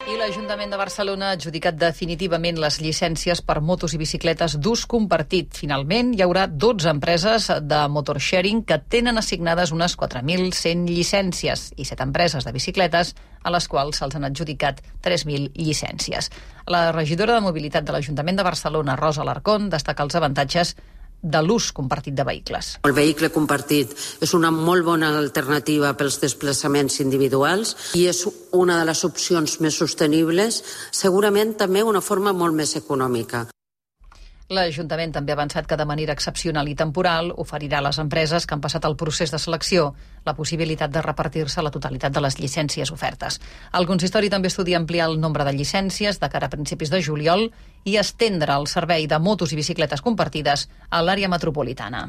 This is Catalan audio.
I l'Ajuntament de Barcelona ha adjudicat definitivament les llicències per motos i bicicletes d'ús compartit. Finalment, hi haurà 12 empreses de motorsharing que tenen assignades unes 4.100 llicències i 7 empreses de bicicletes a les quals se'ls han adjudicat 3.000 llicències. La regidora de Mobilitat de l'Ajuntament de Barcelona, Rosa Alarcón, destaca els avantatges de l'ús compartit de vehicles. El vehicle compartit és una molt bona alternativa pels desplaçaments individuals i és una de les opcions més sostenibles, segurament també una forma molt més econòmica. L'Ajuntament també ha avançat que de manera excepcional i temporal oferirà a les empreses que han passat el procés de selecció la possibilitat de repartir-se la totalitat de les llicències ofertes. El consistori també estudia ampliar el nombre de llicències de cara a principis de juliol i estendre el servei de motos i bicicletes compartides a l'àrea metropolitana.